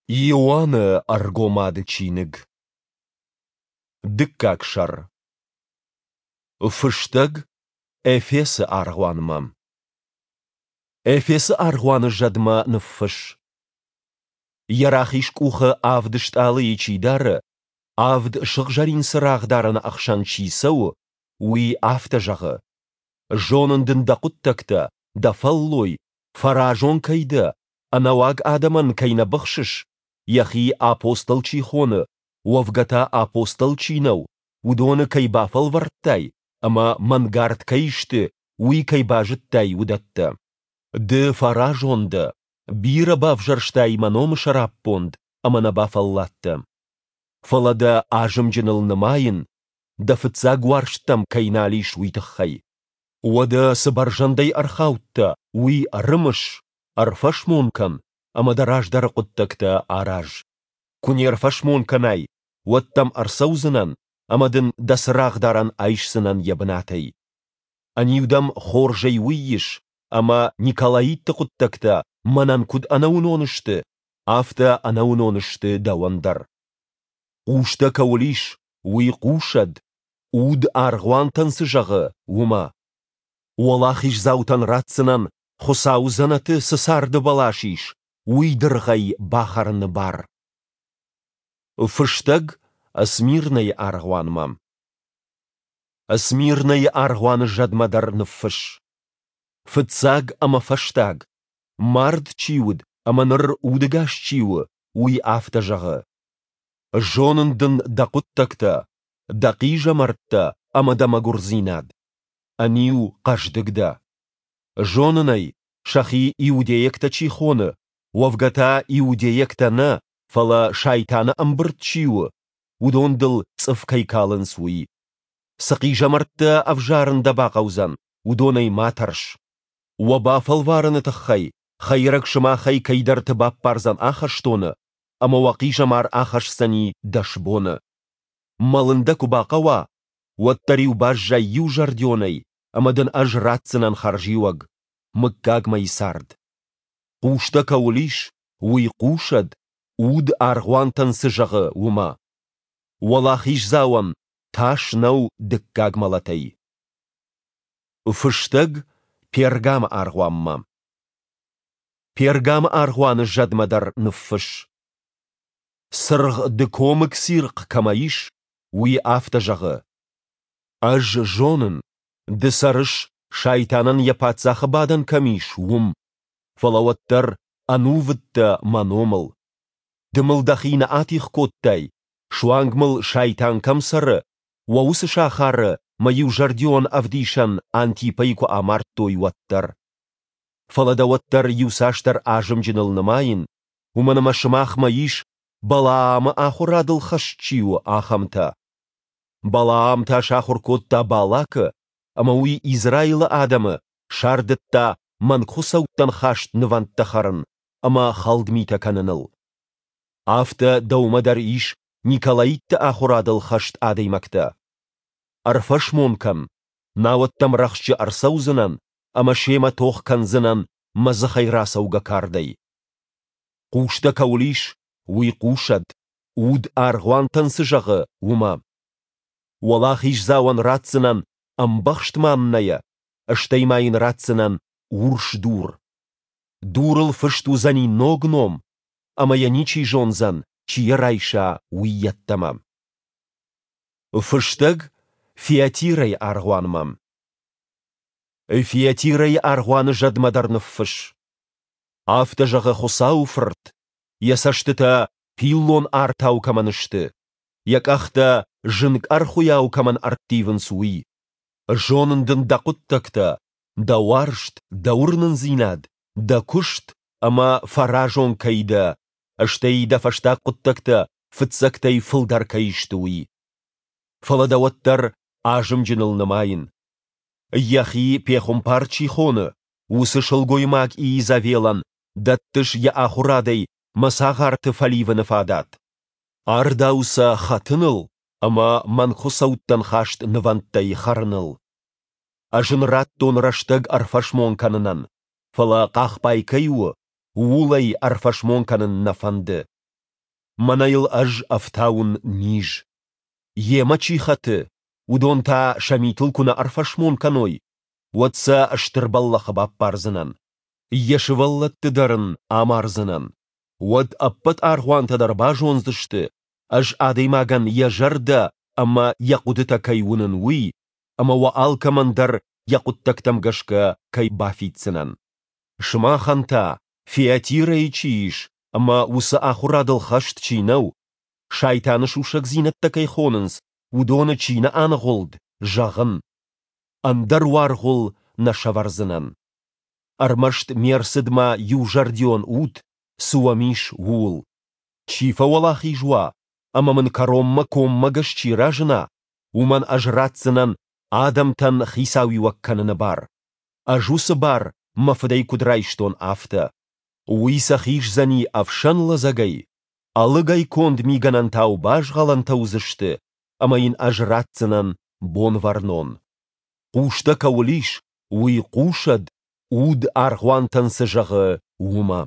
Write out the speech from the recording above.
Иоанны Ӕргомады чиныг. Дыккаг сӕр. Фыстӕг Эфесы аргъуанмӕ. Эфесы аргъуаны зӕдмӕ ныффысс. Йӕ рахиз къухы авд стъалыйы чи дары, авд сыгъзӕрин цырагъдарӕны ӕхсӕн чи цӕуы, уый афтӕ зӕгъы: Зонын дын дӕ хъуыддӕгтӕ, дӕ фӕллой, фӕразон кӕй дӕ, ӕнӕуаг адӕмӕн кӕй нӕ быхсыс, йӕхи апостол чи хоны, уӕвгӕ та апостол чи нӕу, уыдоны кӕй бафӕлвӕрдтай ӕмӕ мӕнгард кӕй сты, уый кӕй базыдтай, уыдӕттӕ. Ды фӕразон дӕ, бирӕ бавзӕрстай мӕ номы сӕраппонд ӕмӕ нӕ бафӕлладтӕ. Фӕлӕ дӕ азымджыныл нымайын, дӕ фыццаг уарзт дӕм кӕй нал ис, уый тыххӕй. Уӕдӕ цы бӕрзӕндӕй ӕрхаудтӕ, уый ӕрымыс, ӕрфӕсмон кӕн ӕмӕ дӕ раздӕры хъуыддӕгтӕ араз. Куы не рфӕсмон кӕнай, уӕд дӕм ӕрцӕудзынӕн ӕмӕ дын дӕ цырагъдарӕн айсдзынӕн йӕ бынатӕй. Ӕниу дӕм хорзӕй уый ис, ӕмӕ Николаитты хъуыддӕгтӕ мӕнӕн куыд ӕнӕуынон сты, афтӕ ӕнӕуынон сты дӕуӕн дӕр. Хъустӕ кӕуыл ис, уый хъусӕд, Уд аргъуантӕн цы зӕгъы, уымӕ. Уӕлахиздзаутӕн ратдзынӕн, Хуыцауы дзӕнӕты цы царды бӕлас ис, уый дыргъӕй бахӕрыны бар. Фыстӕг Смирнӕйы аргъуанмӕ. Смирнӕйы аргъуаны зӕдмӕ дӕр ныффысс. Фыццаг ӕмӕ фӕстаг, мард чи уыд ӕмӕ ныр удӕгас чи у, уый афтӕ зӕгъы: Зонын дын дӕ хъуыддӕгтӕ, дӕ хъизӕмӕрттӕ ӕмӕ дӕ мӕгуырдзинад. Ӕниу хъӕздыг дӕ. Зонын ӕй, сӕхи иудейӕгтӕ чи хоны, уӕвгӕ та иудейӕгтӕ нӕ, фӕлӕ сайтаны ӕмбырд чи у, уыдон дыл цъыф кӕй калынц, уый. Цы хъизӕмӕрттӕ ӕвзарын дӕ бахъӕудзӕн, уыдонӕй ма тӕрс. Уӕ бафӕлварыны тыххӕй хӕйрӕг сымахӕй кӕйдӕрты баппардзӕн ахӕстоны, ӕмӕ уӕ хъизӕмар ахӕсдзӕни дӕс боны. Мӕлын дӕ куы бахъӕуа, уӕддӕр-иу баззай иузӕрдионӕй, ӕмӕ дын ӕз ратдзынӕн хӕрзиуӕг, мыггагмӕйы цард. Хъустӕ кӕуыл ис, уый хъусӕд, уд аргъуантӕн цы зӕгъы, уымӕ. Уӕлахиздзауӕн тас нӕу дыккаг мӕлӕтӕй. Фыстӕг Пергамы аргъуанмӕ. Пергамы аргъуаны зӕдмӕ дӕр ныффысс. Цыргъ дыкомыг цирхъ кӕмӕ ис, уый афтӕ зӕгъы: Ӕз зонын, ды цӕрыс, сайтанӕн йӕ паддзахы бадӕн кӕм ис, уым, фӕлӕ уӕддӕр ӕнувыд дӕ мӕ номыл. Ды мыл дӕхи нӕ атигъ кодтай, суанг мыл сайтан кӕм цӕры, уӕ уыцы сахары мӕ иузӕрдион ӕвдисӕн Антипӕйы куы амардтой, уӕддӕр. Фӕлӕ дӕ уӕддӕр иуцасдӕр азымджыныл нымайын, уымӕн ӕмӕ сымахмӕ ис, Балаамы ахуырадыл хӕст чи у, ахӕмтӕ. Балаам та сахуыр кодта Балакы, ӕмӕ уый Израилы адӕмы сардыдта мӕнгхуыцӕуттӕн хаст нывӕндтӕ хӕрын ӕмӕ хӕлд митӕ кӕныныл. Афтӕ дӕумӕ дӕр ис Николаитты ахуырадыл хӕст адӕймӕгтӕ. Ӕрфӕсмон кӕн, науӕд дӕм рӕхджы ӕрцӕудзынӕн ӕмӕ семӕ тох кӕндзынӕн мӕ дзыхӕй рацӕугӕ кардӕй. Хъустӕ кӕуыл ис, уый хъусӕд, уд аргъуантӕн цы зӕгъы, уымӕ. Уӕлахиздзауӕн ратдзынӕн ӕмбӕхст маннӕйӕ, стӕй ма йын ратдзынӕн урс дур. Дурыл фыст уыдзӕни ног ном, ӕмӕ йӕ ничи зондзӕн, чи йӕ райса, уый йеддӕмӕ. Фыстӕг Фиатирӕйы аргъуанмӕ. Фиатирӕйы аргъуаны зӕдмӕ дӕр ныффысс. Афтӕ зӕгъы Хуыцауы Фырт, йӕ цӕстытӕ пиллон артау кӕмӕн сты, йӕ къӕхтӕ зынг ӕрхуыйау кӕмӕн ӕрттивынц, уый. Зонын дын дӕ хъуыддӕгтӕ, дӕ уарзт, дӕ уырнындзинад, дӕ куыст ӕмӕ фӕразон кӕй дӕ, стӕй дӕ фӕстаг хъуыддӕгтӕ фыццӕгтӕй фылдӕр кӕй сты, уый. Фӕлӕ дӕ уӕддӕр азымджыныл нымайын. Йӕхи пехуымпар чи хоны, уыцы сылгоймаг Иезавелӕн дӕттыс йӕ ахуырадӕй мӕ цагъарты фӕливыны фадат. Ардауы сӕ хӕтыныл ӕмӕ мӕнгхуыцӕуттӕн хаст нывӕндтӕй хӕрыныл. Ӕз ын радтон рӕстӕг ӕрфӕсмон кӕнынӕн, фӕлӕ хъахбай кӕй у, ууыл ӕй ӕрфӕсмон кӕнын нӕ фӕнды. Мӕнӕ йыл ӕз ӕфтауын низ. Йемӕ чи хӕты, уыдон та сӕ митыл куы нӕ ӕрфӕсмон кӕной, уӕд сӕ стыр бӕллӕхы баппардзынӕн. Йӕ сывӕллӕтты дӕр ын амардзынӕн. Уӕд ӕппӕт аргъуантӕ дӕр базондзысты, ӕз адӕймагӕн йӕ зӕрдӕ ӕмӕ йӕ хъуыдытӕ кӕй уынын, уый, ӕмӕ уӕ алкӕмӕн дӕр йӕ хъуыддӕгтӕм гӕсгӕ кӕй бафиддзынӕн. Сымахӕн та, Фиатирӕйы чи ис ӕмӕ уыцы ахуырадыл хӕст чи нӕу, Сайтаны сусӕгдзинӕдтӕ кӕй хонынц, уыдоны чи нӕ аныгъуылд, зӕгъын, ӕндӕр уаргъ уыл нӕ сӕвӕрдзынӕн. Ӕрмӕст ме рцыдмӕ иузӕрдион ут, цы уӕм ис, ууыл. Чи фӕуӕлахиз уа ӕмӕ мын кӕронмӕ коммӕгӕс чи разына, уымӕн ӕз ратдзынӕн адӕмтӕн хицауиуӕг кӕныны бар, ӕз уыцы бар мӕ Фыдӕй куыд райстон, афтӕ. Уый сӕ хиздзӕни ӕфсӕн лӕдзӕгӕй, ӕлыгӕй конд мигӕнӕнтау базгъӕлӕнтӕ уыдзысты, ӕмӕ йын ӕз ратдзынӕн Бонвӕрнон. Хъустӕ кӕуыл ис, уый хъусӕд, Уд аргъуантӕн цы зӕгъы, уымӕ.